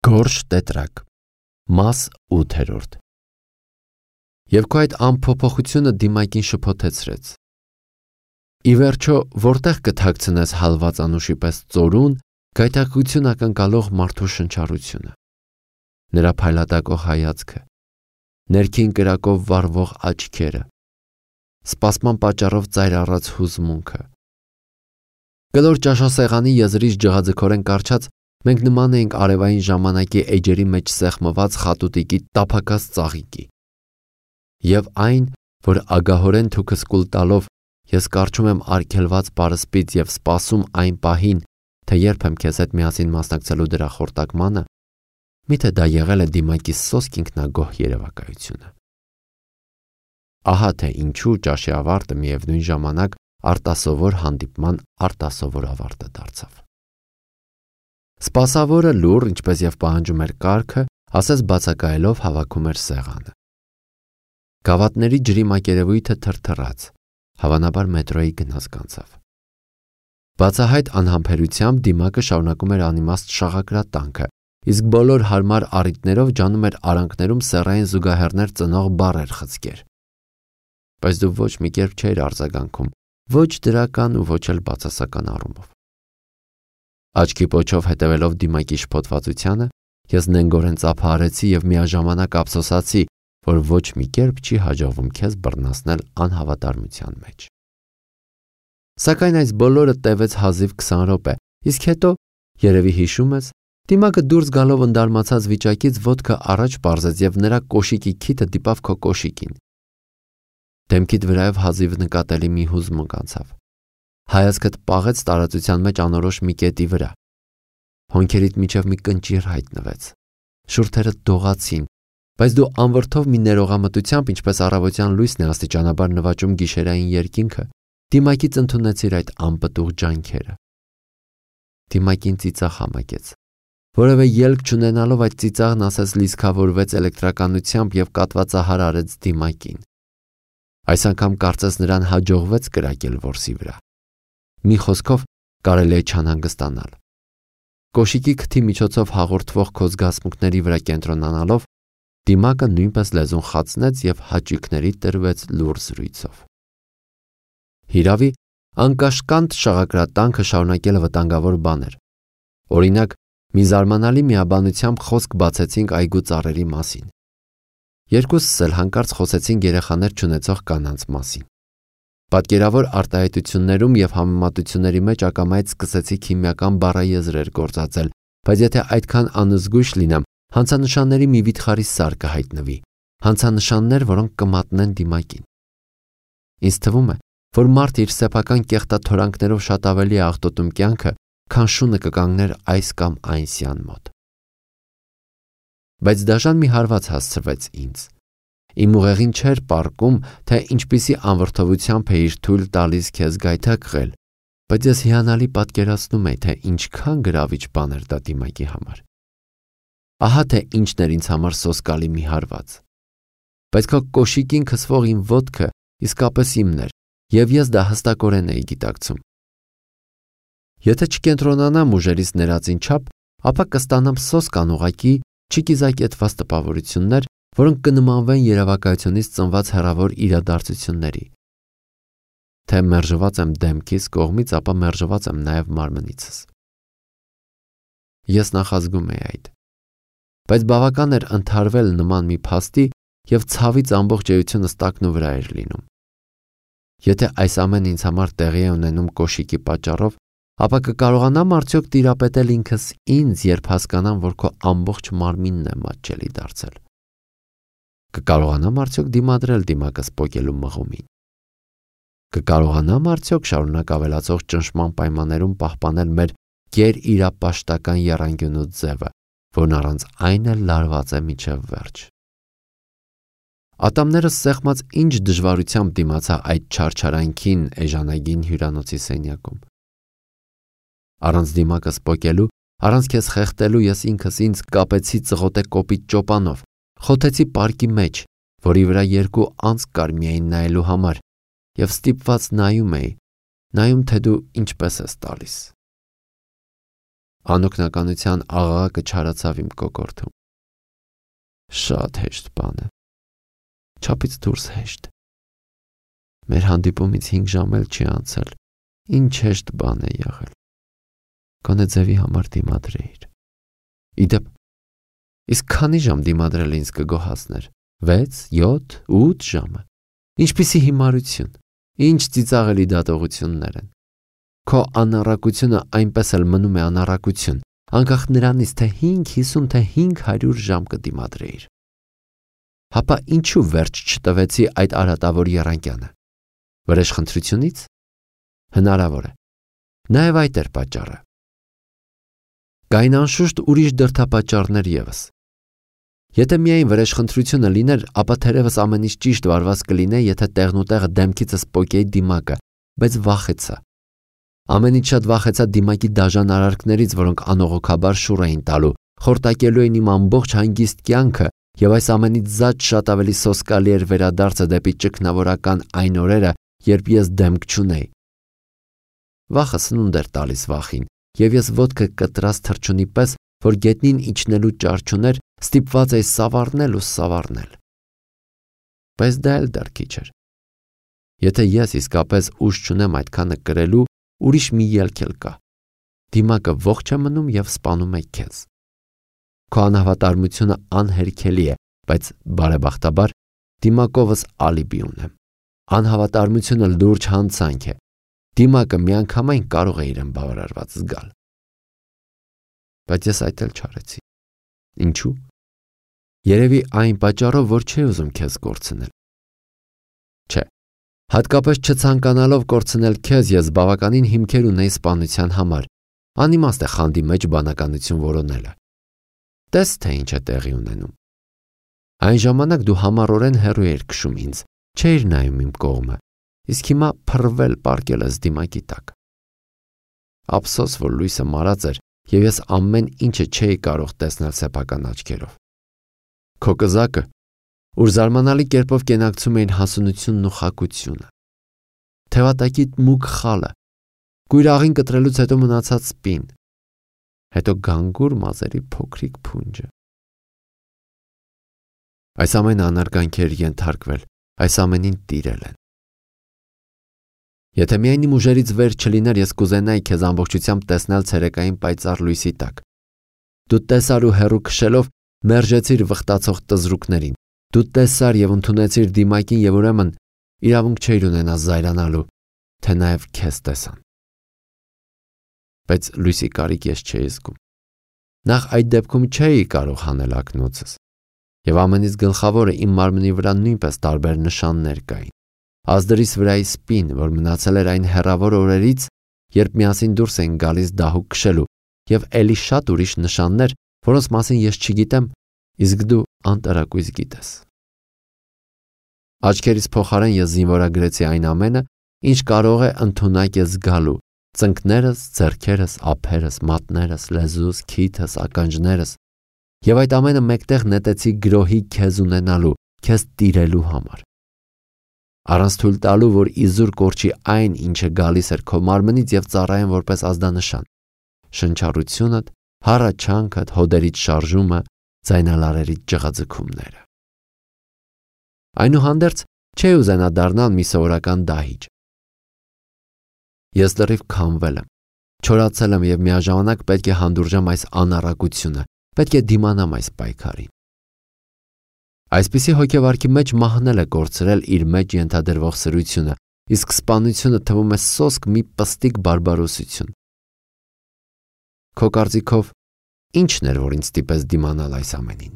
Գորշ տետրակ, մաս 8-րդ։ Եվ քո այդ անփոփոխությունը դիմակին շփոթեցրեց։ Ի վերջո, որտեղ կթաքցնես հալված անուշի պես ծորուն, գայթակղություն ակնկալող մարդու շնչառությունը, նրա փայլատակող հայացքը, ներքին կրակով վառվող աչքերը, սպասման պատճառով ծայր առած հուզմունքը։ Կլոր ճաշասեղանի եզրից ջղաձգորեն կառչած, մենք նման էինք արևային ժամանակի էջերի մեջ սեղմված խատուտիկի տափակած ծաղիկի։ Եվ այն, որ ագահորեն թուքս կուլ տալով ես կառչում եմ արգելված պարսպից և սպասում այն պահին, թե երբ եմ քեզ հետ միասին մասնակցելու դրա խորտակմանը, միթե դա եղել է դիմակի սոսկ ինքնագոհ երևակայությունը։ Ահա թե ինչու ճաշի ավարտը միևնույն ժամանակ արտասովոր հանդիպման արտասովոր ավարտը դարձավ։ Սպասավորը լուռ, ինչպես և պահանջում էր կարգը, ասես բացակայելով հավաքում էր սեղանը։ Գավաթների ջրի մակերևույթը թրթռաց, հավանաբար մետրոյի գնաց կանցավ։ Բացահայտ անհամբերությամբ դիմակը շարունակում էր անիմաստ շաղակրատանքը, իսկ բոլոր հարմար առիթներով ջանում էր արանքներում սեռային զուգահեռներ ծնող բառեր խցկեր։ Բայց դու ոչ մի կերպ չէիր արձագանքում, ոչ դրական ու ոչ էլ բացասական առումով։ Աչքի պոչով հետևելով դիմակի շփոթվածությանը, ես նենգորեն ծափահարեցի և միաժամանակ ափսոսացի, որ ոչ մի կերպ չի հաջողվում քեզ բռնացնել անհավատարմության մեջ։ Սակայն այս բոլորը տևեց հազիվ 20 րոպե, իսկ հետո, երևի հիշում ես, դիմակը դուրս գալով ընդարմացած վիճակից ոտքը առաջ պարզեց և նրա կոշիկի քիթը դիպավ քո կոշիկին։ Դեմքիդ վրայով հազիվ նկատելի մի հուզմունք անցավ։ Հայացքդ պաղեց տարածության մեջ անորոշ մի կետի վրա։ Հոնքերիդ միջև մի կնճիռ հայտնվեց։ Շուրթերդ դողացին, բայց դու անվրդով մի ներողամտությամբ, ինչպես առավոտյան լույսն է աստիճանաբար նվաճում գիշերային երկինքը, դիմակից ընդունեցիր այդ անպտուղ ջանքերը։ Դիմակին ծիծաղ համակեց։ Որևէ ելք չունենալով այդ ծիծաղն ասես լիցքավորվեց էլեկտրականությամբ և կատվածահար արեց դիմակին։ Այս անգամ կարծես նրան հաջողվեց կրակել որսի վրա։ Մի խոսքով կարելի է չանհանգստանալ։ Կոշիկի քթի միջոցով հաղորդվող քո զգացմունքների վրա կենտրոնանալով, դիմակը նույնպես լեզուն խացնեց և հաճույքների տրվեց լուռ զրույցով։ Հիրավի, անկաշկանդ շաղակրատանքը շարունակելը վտանգավոր բան էր։ Օրինակ, մի զարմանալի միաբանությամբ խոսք բացեցինք այգու ծառերի մասին։ Երկուսս էլ հանկարծ խոսեցինք երեխաներ չունեցող կանանց մասին։ Պատկերավոր արտահայտություններում և համեմատությունների մեջ ակամայից սկսեցի քիմիական բառաեզրեր գործածել, բայց եթե այդքան անզգույշ լինեմ, հանցանշանների մի վիթխարի սար կհայտնվի, հանցանշաններ, որոնք կմատնեն դիմակին։ Ինձ թվում է, որ մարդը իր սեփական կեղտաթորանքներով շատ ավելի է աղտոտում կյանքը, քան շունը կկանգներ այս կամ այն սյան մոտ։ Բայց դաժան մի հարված հասցրվեց ինձ։ Իմ ուղեղին չէր պառկում, թե ինչպիսի անվրդովությամբ էիր թույլ տալիս քեզ գայթակղել, բայց ես հիանալի պատկերացնում էի, թե ինչքան գրավիչ բան էր դա դիմակի համար։ Ահա թե ինչն էր ինձ համար սոսկալի մի հարված։ Բայց քո կոշիկին քսվող իմ ոտքը իսկապես իմն էր, և ես դա հստակորեն էի գիտակցում։ Եթե չկենտրոնանամ ուժերից ներածին չափ, ապա կստանամ սոսկ անուղղակի, չկիզակետված տպավորություններ, որոնք կնմանվեն երևակայությունից ծնված հեռավոր իրադարձությունների։ Թե մերժված եմ դեմքիս կողմից, ապա մերժված եմ նաև մարմնիցս։ Ես նախազգում էի այդ։ Բայց բավական էր ընդհարվել նման մի փաստի, և ցավից ամբողջ էությունս տակնու վրա էր լինում։ Եթե այս ամենը ինձ համար տեղի է ունենում կոշիկի պատճառով, ապա կկարողանամ արդյոք տիրապետել ինքս ինձ, երբ հասկանամ, որ քո ամբողջ մարմինն է մատչելի դարձել։ Կկարողանամ արդյոք դիմադրել դիմակս պոկելու մղումին։ Կկարողանամ արդյոք շարունակ ավելացող ճնշման պայմաններում պահպանել մեր գերիրապաշտական եռանկյունու ձևը, որն առանց այն էլ լարված է մինչև վերջ։ Ատամներս սեղմած ինչ դժվարությամբ դիմացա այդ չարչարանքին էժանագին հյուրանոցի սենյակում։ Առանց դիմակս պոկելու, առանց քեզ խեղդելու ես ինքս ինձ կապեցի ծղոտե կոպիտ ճոպանով, խոթեցի պարկի մեջ, որի վրա երկու անցք կար միայն նայելու համար, և ստիպված նայում էի, նայում, թե դու ինչպես ես տալիս։ Անօգնականության աղաղակը չարացավ իմ կոկորդում։ Շատ հեշտ բան է։ Չափից դուրս հեշտ։ Մեր հանդիպումից 5 ժամ էլ չի անցել։ Ինչ հեշտ բան է եղել։ Գոնե ձևի համար դիմադրեիր։ Իդեպ, իսկ քանի ժամ դիմադրել ինձ կգոհացներ։ 6, 7, 8 ժամը։ Ինչպիսի հիմարություն, ինչ ծիծաղելի դատողություններ են։ Քո անառակությունը այնպես էլ մնում է անառակություն, անկախ նրանից, թե 550, թե 500 ժամ կդիմադրեիր։ Հապա ինչու վերջ չտվեցի այդ արատավոր եռանկյանը։ Վրեժխնդրությունից։ Հնարավոր է։ Նաև այդ էր պատճառը։ Կային անշուշտ ուրիշ դրդապատճառներ ևս։ Եթե միայն վրեժխնդրությունը լիներ, ապա թերևս ամեն ինչ ճիշտ վարված կլիներ, եթե տեղնուտեղը դեմքիցս պոկեի դիմակը, բայց վախեցա։ Ամենից շատ վախեցա դիմակի դաժան արարքներից, որոնք անողոքաբար շուռ էին տալու, խորտակելու էին իմ ամբողջ հանգիստ կյանքը, եւ այս ամենից զատ շատ ավելի սոսկալի էր վերադարձը դեպի ճգնավորական այն օրերը, երբ ես դեմք չունեի։ Վախը սնունդ էր տալիս վախին, եւ ես ոտքը կտրած թռչունի պես, որ գետնին իջնելու ճար չուներ, ստիպված էի սավառնել ու սավառնել։ Բայց դա էլ դեռ քիչ էր։ Եթե ես իսկապես ուժ չունեմ այդքանը կրելու, ուրիշ մի ելք էլ կա։ Դիմակը ողջ է մնում եւ սպանում է քեզ։ Քո անհավատարմությունը անհերքելի է, բայց բարեբախտաբար դիմակովս ալիբի ունեմ։ Անհավատարմությունը լուրջ հանցանք է։ Դիմակը միանգամայն կարող է իրեն բավարարված զգալ։ Բայց ես այդ էլ չարեցի։ Ինչու՞։ Երևի այն պատճառով, որ չէի ուզում քեզ կորցնել։ Չէ, հատկապես չցանկանալով կորցնել քեզ, ես բավականին հիմքեր ունեի սպանության համար։ Անիմաստ է խանդի մեջ բանականություն որոնելը։ Տես թե ինչ է տեղի ունենում։ Այն ժամանակ դու համառորեն հեռու էիր քշում ինձ, չէիր նայում իմ կողմը, իսկ հիմա փռվել պառկել ես դիմակի տակ։ Ափսոս, որ լույսը մարած էր, եւ ես ամեն ինչը չէի կարող տեսնել սեփական աչքերով։ Քո կզակը, ուր զարմանալի կերպով կենակցում էին հասունությունն ու խակությունը, թևատակի մուգ խալը, կույրաղին կտրելուց հետո մնացած սպին, հետո գանգուր մազերի փոքրիկ փունջը։ Այս ամենը անարգանքեր ենթարկվել, այս ամենին տիրել են։ Եթե միայն իմ ուժերից վեր չլիներ, ես կուզենայի քեզ ամբողջությամբ տեսնել ցերեկային պայծառ լույսի տակ։ Դու տեսար ու հեռու քշելով մերժեցիր վխտացող տզրուկներին։ Դու տեսար եւ ընդունեցիր դիմակին եւ ուրեմն իրավունք չէիր ունենա զայրանալու, թե նաեւ քեզ տեսան։ Բայց լույսի կարիք ես չէի զգում։ Նախ այդ դեպքում չէի կարող հանել ակնոցս։ Եվ ամենից գլխավորը իմ մարմնի վրա նույնպես տարբեր նշաններ կային։ Ազդրիս վրայի սպին, որ մնացել էր այն հեռավոր օրերից, երբ միասին դուրս էին գալիս դահուկ քշելու, եւ ելի շատ ուրիշ նշաններ, որոնց մասին ես չգիտեմ, իսկ դու անտարակույս գիտես։ Աչքերից փոխարեն ես զինվորագրեցի այն ամենը, ինչ կարող է ընդունակ է զգալու՝ ծնկներս, ձեռքերս, ափերս, մատներս, լեզուս, քիթս, ականջներս, եւ այդ ամենը մեկտեղ նետեցի գրոհի քեզ ունենալու, քեզ տիրելու համար։ Առանց թույլ տալու, որ իզուր կորչի այն, ինչը գալիս էր քո մարմնից եւ ծառայեն որպես ազդանշան։ Շնչառությունդ, հառաչանքդ, հոդերից շարժումը, ձայնալարերից ջղաձգումները։ Այնուհանդերձ չէի ուզենա դառնալ մի սովորական դահիճ։ Ես լրիվ քամվել եմ, չորացել եմ եւ միաժամանակ պետք է հանդուրժեմ այս անառակությունը, պետք է դիմանամ այս պայքարին։ Այսպիսի հոգեվարքի մեջ մահն է կորցրել իր մեջ ենթադրվող սրությունը, իսկ սպանությունը թվում է սոսկ մի պստիկ բարբարոսություն։ Քո կարծիքով ի՞նչն էր, որ ինձ ստիպեց դիմանալ այս ամենին։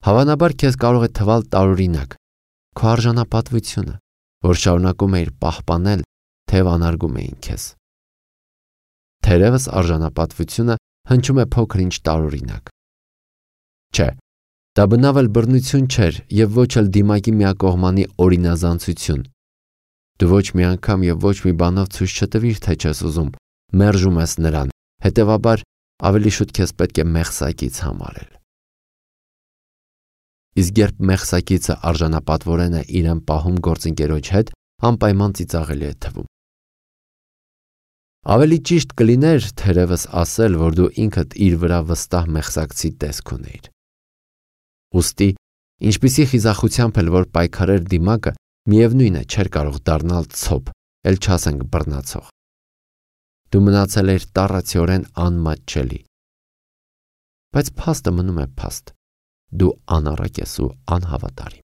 Հավանաբար քեզ կարող է թվալ տարօրինակ քո արժանապատվությունը, որ շարունակում էիր պահպանել, թեև անարգում էին քեզ։ Թերևս արժանապատվությունը հնչում է փոքր ինչ տարօրինակ։ Չէ, դա բնավ էլ բռնություն չէր եւ ոչ էլ դիմակի միակողմանի օրինազանցություն։ Դու ոչ մի անգամ եւ ոչ մի բանով ցույց չտվիր, թե չես ուզում, մերժում ես նրան, հետեւաբար ավելի շուտ քեզ պետք է մեղսակից համարել։ Իսկ երբ մեղսակիցը արժանապատվորեն է իրեն պահում գործընկերոջ հետ, անպայման ծիծաղելի է թվում։ Ավելի ճիշտ կլիներ թերևս ասել, որ դու ինքդ իր վրա վստահ մեղսակցի տեսք ունեիր։ Ուստի, ինչպիսի խիզախությամբ էլ որ պայքարեր դիմակը, միևնույն է չէր կարող դառնալ ցոփ, էլ չասենք բռնացող։ Դու մնացել էիր տառացիորեն անմատչելի։ Բայց փաստը մնում է փաստ։ Դու անառակ ես ու անհավատարիմ։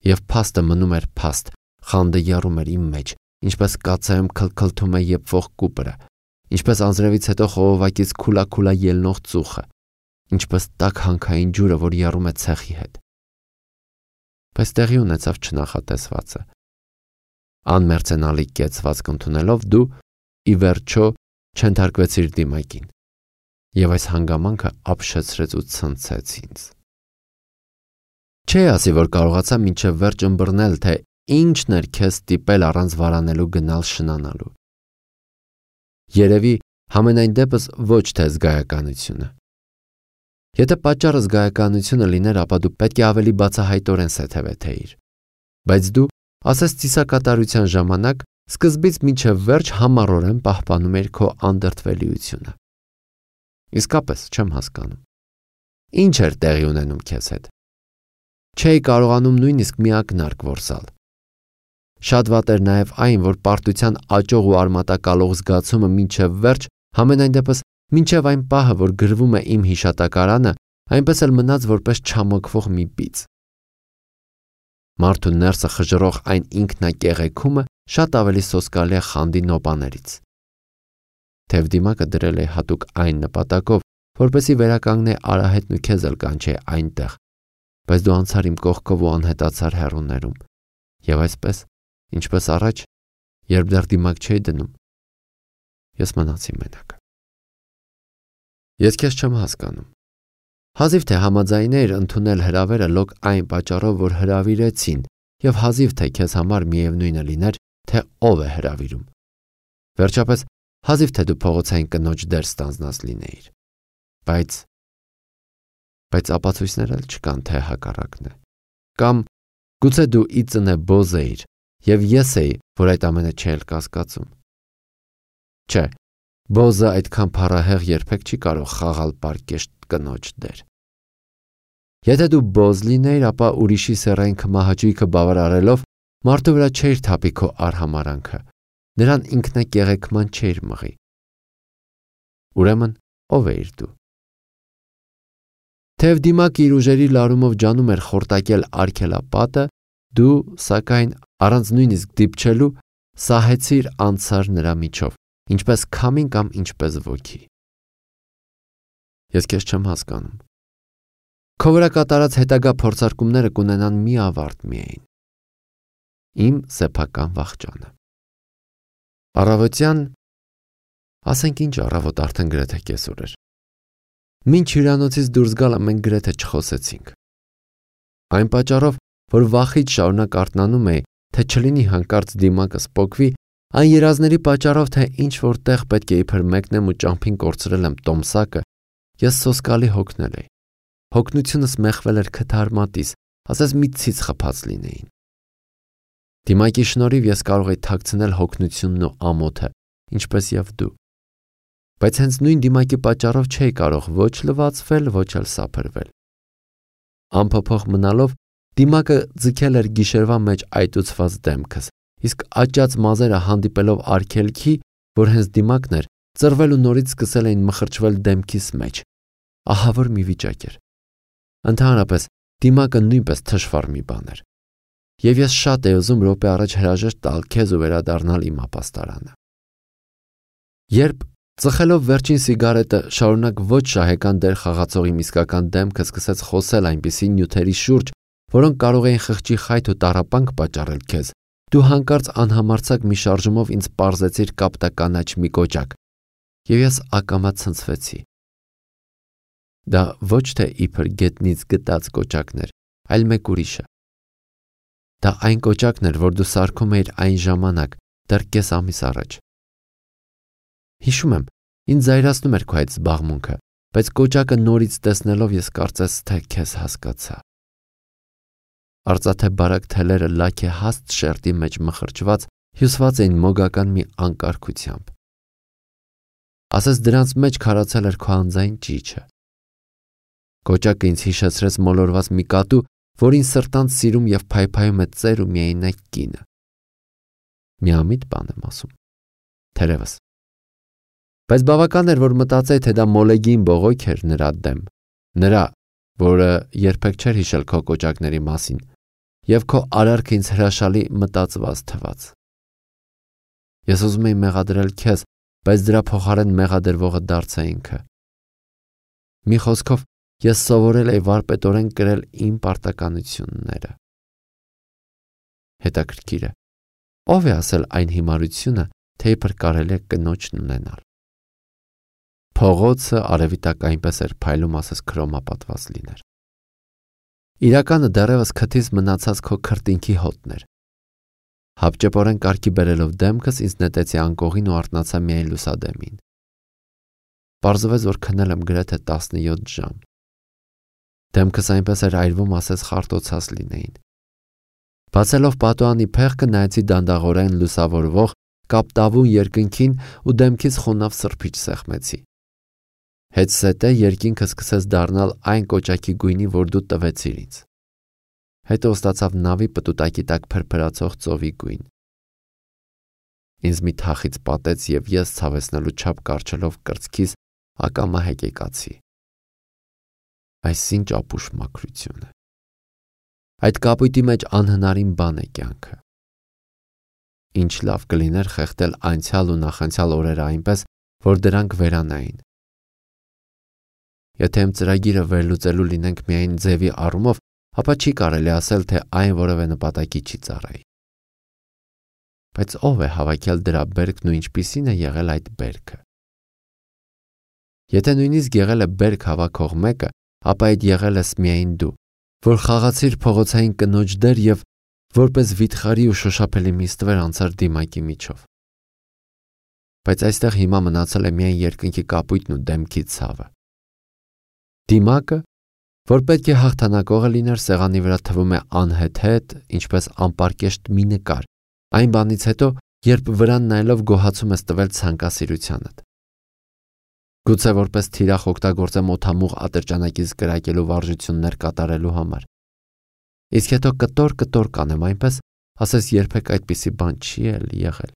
Եվ փաստը մնում էր փաստ, խանդը եռում էր իմ մեջ, ինչպես կացայում քլքլթում է եփվող կուպրը, ինչպես անձրևից հետո խողովակից քուլա ելնող ծուխը, ինչպես տաք հանքային ջուրը, որ եռում է ցեխի հետ։ Բայց տեղի ունեցավ չնախատեսվածը։ Անմերձենալի կեցվածք ընդունելով դու ի վերջո չընթարկվեցիր դիմակին, եւ այս հանգամանքը ապշեցրեց ու ցնցեց ինձ։ Չէ ասի, որ կարողացա մինչև վերջ ըմբռնել, թե ինչն էր քեզ ստիպել առանց վարանելու գնալ շնանալու։ Երևի համենայն դեպս ոչ թե զգայականությունը։ Եթե պատճառը զգայականությունը լիներ, ապա դու պետք է ավելի բացահայտորեն սեթևեթեիր։ Բայց դու, ասես ծիսակատարության ժամանակ, սկզբից մինչև վերջ համառորեն պահպանում էր քո անդրդվելիությունը։ Իսկապես չեմ հասկանում։ Ինչ էր տեղի ունենում քեզ հետ։ Չէի կարողանում նույնիսկ մի ակնարկ որսալ։ Շատ վատ էր նաև այն, որ պարտության աճող ու արմատակալող զգացումը մինչև վերջ, համենայն դեպս մինչև այն պահը, որ գրվում է իմ հիշատակարանը, այնպես էլ մնաց որպես չամոքվող մի բիծ։ Մարդու ներսը խժռող այն ինքնակեղեքումը շատ ավելի սոսկալի է խանդի նոպաներից։ Թեև դիմակը դրել է հատուկ այն նպատակով, որպեսզի վերականգնե արահետն ու քեզ էլ կանչե այնտեղ, բայց դու անցար իմ կողքով ու անհետացար հեռուներում, եւ այսպես, ինչպես առաջ, երբ դեռ դիմակ չէի դնում, ես մնացի մենակ։ Ես քեզ չեմ հասկանում։ Հազիվ թե համաձայներ ընդունել հրավերը լոկ այն պատճառով, որ հրավիրեցին, եւ հազիվ թե քեզ համար միևնույնը լիներ, թե ով է հրավիրում։ Վերջապես, հազիվ թե դու փողոցային կնոջ դեր ստանձնած լինեիր։ Բայց ապացույցներ էլ չկան, թե հակառակն է։ Կամ գուցե դու ի ծնե բոզ էիր, եւ ես էի, որ այդ ամենը չէր կասկածում։ Չէ, բոզը այդքան փառահեղ երբեք չի կարող խաղալ պարկեշտ կնոջ դեր։ Եթե դու բոզ լինեիր, ապա ուրիշի սեռային քմահաճույքը բավարարելով մարդու վրա չէիր թափի քո արհամարանքը, նրան ինքնակեղեքման չէիր մղի։ Ուրեմն ով էիր դու։ Թեև դիմակը իր ուժերի լարումով ջանում էր խորտակել արգելապատը, դու, սակայն, առանց նույնիսկ դիպչելու, սահեցիր անցար նրա միջով, ինչպես քամին կամ ինչպես ոգի։ Ես քեզ չեմ հասկանում։ Քո վրա կատարած հետագա փորձարկումները կունենան մի ավարտ միայն։ Իմ սեփական վախճանը։ Առավոտյան, ասենք ինչ առավոտ արդեն գրեթե կեսօր էր։ Մինչ հյուրանոցից դուրս գալը մենք գրեթե չխոսեցինք։ Այն պատճառով, որ վախից շարունակ արթնանում էի, թե չլինի հանկարծ դիմակը սպոկվի, այն երազների պատճառով, թե ինչ որտեղ պետք է իբր մեկնեմ ու ճամփին կորցրել եմ տոմսակը, ես սոսկալի հոգնել էի։ Հոգնությունս մեխվել էր քթարմատիս, ասես մի ցից խփած լինեին։ Դիմակի շնորհիվ ես կարող էի թաքցնել հոգնությունն ու ամոթը, ինչպես եւ դու։ Բայց հենց նույն դիմակի պատճառով չէի կարող ոչ լվացվել, ոչ էլ սափրվել։ Անփոփոխ մնալով, դիմակը ձգել էր գիշերվա մեջ այտուցված դեմքս, իսկ աճած մազերը հանդիպելով արգելքի, որ հենց դիմակն էր, ծռվել ու նորից սկսել էին մխրճվել դեմքիս մեջ։ Ահավոր մի վիճակ էր։ Ընդհանրապես, դիմակը նույնպես թշվառ մի բան էր։ Եվ ես շատ էի ուզում րոպե առաջ հրաժեշտ տալ քեզ ու վերադառնալ իմ ապաստարանը։ Երբ ծխելով վերջին սիգարետը շարունակ ոչ շահեկան դեր խաղացող իմ իսկական դեմքը սկսեց խոսել այնպիսի նյութերի շուրջ, որոնք կարող էին խղճի խայթ ու տառապանք պատճառել քեզ, դու հանկարծ անհամարձակ մի շարժումով ինձ պարզեցիր կապտականաչ մի կոճակ, եւ ես ակամա ցնցվեցի։ Դա ոչ թե իբր գետնից գտած կոճակն էր, այլ մեկ ուրիշը։ Դա այն կոճակն էր, որ դու սարքում էիր այն ժամանակ, դեռ կես ամիս առաջ։ Հիշում եմ, ինձ զայրացնում էր քո այդ զբաղմունքը, բայց կոճակը նորից տեսնելով ես կարծես թե քեզ հասկացա։ Արծաթե բարակ թելերը լաք է հաստ շերտի մեջ մխրճված, հյուսված էին մոգական մի անկարգությամբ։ ասես դրանց մեջ քարացել էր քո անձային ճիճը։ Կոճակը ինձ հիշեցրեց մոլորված մի կատու, որին սրտանց սիրում եւ փայփայում է ծեր ու միայնակ կինը։ Միամիտ բան եմ ասում։ Թերևս։ Բայց բավական էր, որ մտածեի, թե դա մոլեգին բողոք էր նրա դեմ, նրա, որը երբեք չէր հիշել քո կոճակների մասին, եւ քո արարքը ինձ հրաշալի մտածված թվաց։ Ես ուզում էի մեղադրել քեզ, բայց դրա փոխարեն մեղադրվողը դարձա ինքը։ Մի խոսքով, ես սովորել էի վարպետորեն կրել իմ պարտականությունները։ Հետաքրքիր է, ով է ասել այն հիմարությունը, թե իբր կարելի է կնոջն ունենալ։ Փողոցը արևի տակ այնպես էր փայլում, ասես քրոմապատված լիներ։ Իրականը դեռևս քթից մնացած քո քրտինքի հոտն էր։ Հապճեպորեն կարգի բերելով դեմքս ինձ նետեցի անկողին ու արթնացա միայն լուսադեմին։ Պարզվեց, որ քնել եմ գրեթե 17 ժամ։ Դեմքս այնպես էր այրվում, ասես խարտոցած լինեին։ Բացելով պատուհանի փեղկը նայեցի դանդաղորեն լուսավորվող կապտավուն երկնքին ու դեմքից խոնավ սրբիչ սեղմեցի։ Հետսետե երկինքը սկսեց դառնալ այն կոճակի գույնի, որ դու տվեցիր ինձ։ Հետո ստացավ նավի պտուտակի տակ փրփրացող ծովի գույն։ Ինձ մի թախից պատեց եւ ես ցավեցնելու չափ կարճելով կրծքիս ակամա հեկեկացի։ Այսինչ ապուշ մաքրություն է։ Այդ կապույտի մեջ անհնարին բան է կյանքը։ Ինչ լավ կլիներ խեղդել անցյալ ու նախանցյալ օրերը այնպես, որ դրանք վերանային։ Եթե իմ ծրագիրը վերլուծելու լինենք միայն ձևի առումով, ապա չի կարելի ասել, թե այն որևէ նպատակի չի ծառայի։ Բայց ով է հավաքել դրա բերքն ու ինչպիսին է եղել այդ բերքը։ Եթե նույնիսկ եղել է բերք հավաքող մեկը, ապա այդ եղել ես միայն դու, որ խաղացիր փողոցային կնոջ դեր եւ որպես վիթխարի ու շոշափելի մի ստվեր անցար դիմակի միջով։ Բայց այստեղ հիմա մնացել է միայն երկնքի կապույտն ու դեմքի ցավը։ Դիմակը, որ պետք է հաղթանակողը լիներ, սեղանի վրա թվում է անհեթեթ, ինչպես անպարկեշտ մի նկար, այն բանից հետո, երբ վրան նայելով գոհացում ես տվել ցանկասիրությանդ։ Գուցե որպես թիրախ օգտագործեմ օդամուղ ատրճանակից կրակելու վարժություններ կատարելու համար։ Իսկ հետո կտոր կանեմ այնպես, ասես երբեք այդպիսի բան չի եղել։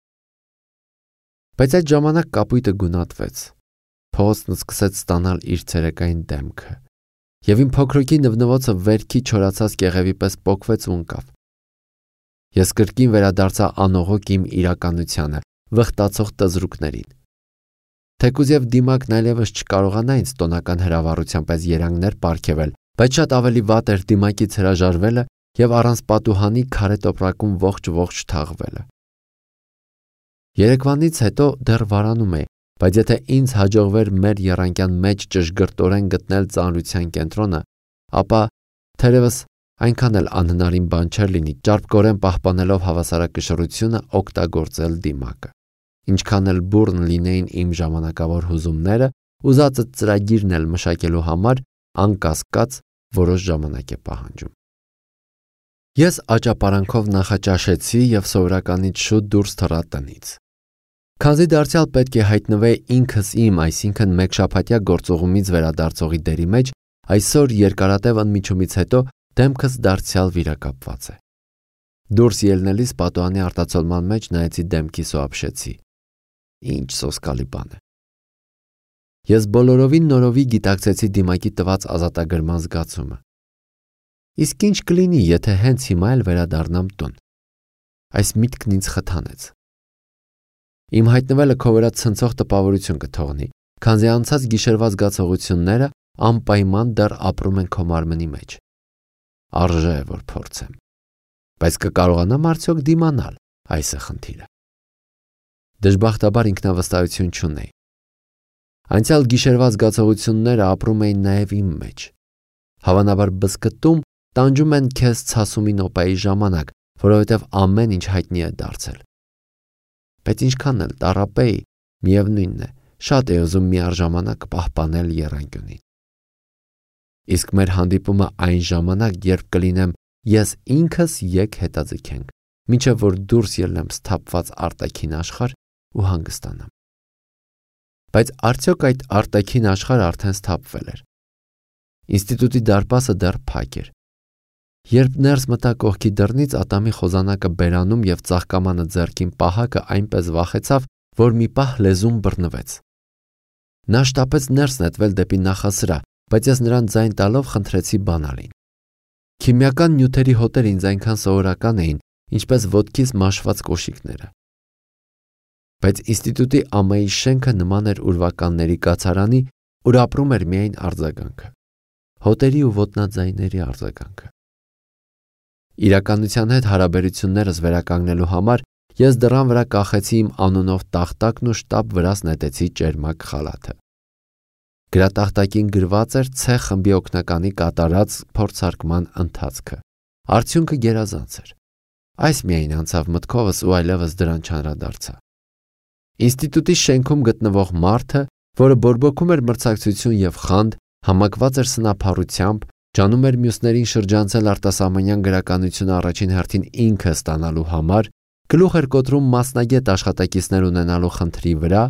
Բայց այդ ժամանակ կապույտը գունատվեց։ Փողոցն սկսեց ստանալ իր ցերեկային դեմքը, եւ իմ փոքրուկի նվնվոցը վերքի չորացած կեղևի պես պոկվեց ու ընկավ։ Ես կրկին վերադարձա անողոք իմ իրականությանը, վխտացող տզրուկներին։ Թեկուզ եւ դիմակն այլևս չկարողանա ինձ տոնական հրավառությամբ այս երանգներ պարգևել, բայց շատ ավելի վատ էր դիմակից հրաժարվելը եւ առանց պատուհանի քարե տոպրակում ողջ թաղվելը։ Երեկվանից հետո դեռ վարանում էի, բայց եթե ինձ հաջողվեր մեր եռանկյան մեջ ճշգրտորեն գտնել ծանրության կենտրոնը, ապա թերևս այնքան էլ անհնարին բան չէր լինի ճարպկորեն պահպանելով հավասարակշռությունը օգտագործել դիմակը։ Ինչքան էլ բուռն լինեին իմ ժամանակավոր հուզումները, ուզածը ծրագիրն էլ մշակելու համար անկասկած որոշ ժամանակ է պահանջում։ Ես աճապարանքով նախաճաշեցի եւ սովորականից շուտ դուրս թռա տնից։ Քանզի դարձյալ պետք է հայտնվեի ինքս իմ, այսինքն մեկ շաբաթյա գործողումից վերադարձողի դերի մեջ, այսօր երկարատև ընդմիջումից հետո դեմքս դարձյալ վիրակապված է։ Դուրս ելնելիս պատուհանի արտացոլման մեջ նայեցի դեմքիս ու ապշեցի։ Ինչ սոսկալի բան է։ Ես բոլորովին նորովի գիտակցեցի դիմակի տված ազատագրման զգացումը։ Իսկ ինչ կլինի, եթե հենց հիմա էլ վերադառնամ տուն։ Այս միտքն ինձ խթանեց։ Իմ հայտնվելը քո վրա ցնցող տպավորություն կթողնի, քանզի անցած գիշերվա զգացողությունները անպայման դեռ ապրում են քո մարմնի մեջ։ Արժե է, որ փորձեմ։ Բայց կկարողանամ արդյոք դիմանալ, այս է խնդիրը։ Դժբախտաբար ինքնավստահություն չունեի։ Անցյալ գիշերվա զգացողությունները ապրում էին նաև իմ մեջ։ Հավանաբար բզկտում տանջում են քեզ ցասումի նոպայի ժամանակ, որովհետև ամեն ինչ հայտնի է դարձել։ Բայց ինչքան էլ տառապեի, միևնույնն է, շատ է ուզում միառժամանակ պահպանել եռանկյունին։ Իսկ մեր հանդիպումը այն ժամանակ, երբ կլինեմ ես ինքս եկ հետաձգենք, մինչև որ դուրս ելնեմ սթափված արտաքին աշխարհ ու հանգստանամ։ Բայց արդյոք այդ արտաքին աշխարհը արդեն սթափվել էր։ Ինստիտուտի դարպասը դեռ փակ էր։ Երբ ներս մտա կողքի դռնից, Ատամի խոզանակը բերանում եւ ծաղկամանը ձեռքին պահակը այնպես վախեցավ, որ մի պահ լեզուն բռնվեց։ Նա շտապեց ներս նետվել դեպի նախասրահ, բայց ես նրան ձայն տալով խնդրեցի բանալին։ Քիմիական նյութերի հոտեր ինձ այնքան սովորական էին, ինչպես ոտքից մաշված կոշիկները։ Բայց ինստիտուտի ամայի շենքը նման էր ուրվականների կացարանի, ուր ապրում էր միայն արձագանքը, հոտերի ու ոտնաձայների արձագանքը։ Իրականության հետ հարաբերություններս վերականգնելու համար ես դռան վրա կախեցի իմ անունով տախտակն ու շտապ վրաս նետեցի ճերմակ խալաթը։ Գրատախտակին գրված էր C խմբի օգնականի կատարած փորձարկման ընթացքը։ Արդյունքը գերազանց էր։ Այս միայն անցավ մտքովս ու այլևս դրան չանդրադարձա։ Ինստիտուտի շենքում գտնվող մարդը, որը բորբոքում էր մրցակցություն եւ խանդ, համակված էր սնափառությամբ, ջանում էր մյուսներին շրջանցել արտասահմանյան գրականությունը առաջին հերթին ինքը ստանալու համար, գլուխ էր կոտրում մասնագետ աշխատակիցներ ունենալու խնդրի վրա,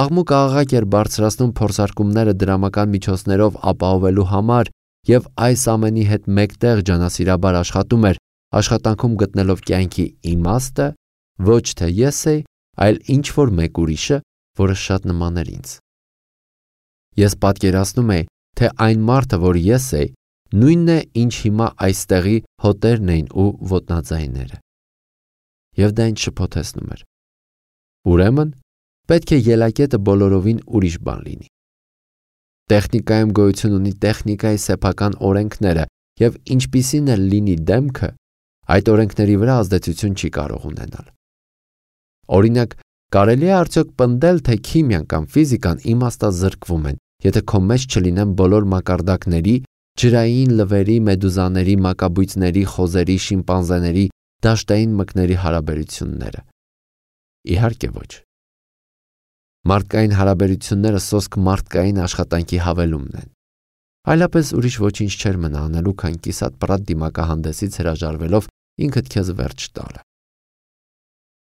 աղմուկ աղաղակ էր բարձրացնում փորձարկումները դրամական միջոցներով ապահովելու համար եւ այս ամենի հետ մեկտեղ ջանասիրաբար աշխատում էր, աշխատանքում գտնելով կյանքի իմաստը, ոչ թե ես էի, այլ ինչ որ մեկ ուրիշը, որը շատ նման էր ինձ։ Ես պատկերացնում էի, թե այն մարդը, որ ես էի, նույնն է, ինչ հիմա այստեղի հոտերն էին ու ոտնաձայները։ Եվ դա ինձ շփոթեցնում էր։ Ուրեմն, պետք է ելակետը բոլորովին ուրիշ բան լինի։ Տեխնիկայում գոյություն ունի տեխնիկայի սեփական օրենքները, եւ ինչպիսին էլ լինի դեմքը, այդ օրենքների վրա ազդեցություն չի կարող ունենալ։ Օրինակ, կարելի է արդյոք պնդել, թե քիմիան կամ ֆիզիկան իմաստազրկվում են, եթե քո մեջ չլինեն բոլոր մակարդակների, ջրային լվերի, մեդուզաների, մակաբույծների, խոզերի, շիմպանզեների, դաշտային մկների հարաբերությունները։ Իհարկե ոչ։ Մարդկային հարաբերությունները սոսկ մարդկային աշխատանքի հավելումն են։ Այլապես ուրիշ ոչինչ չէր մնա անելու, քան կիսատ պրատ դիմակահանդեսից հրաժարվելով ինքդ քեզ վերջ տալը։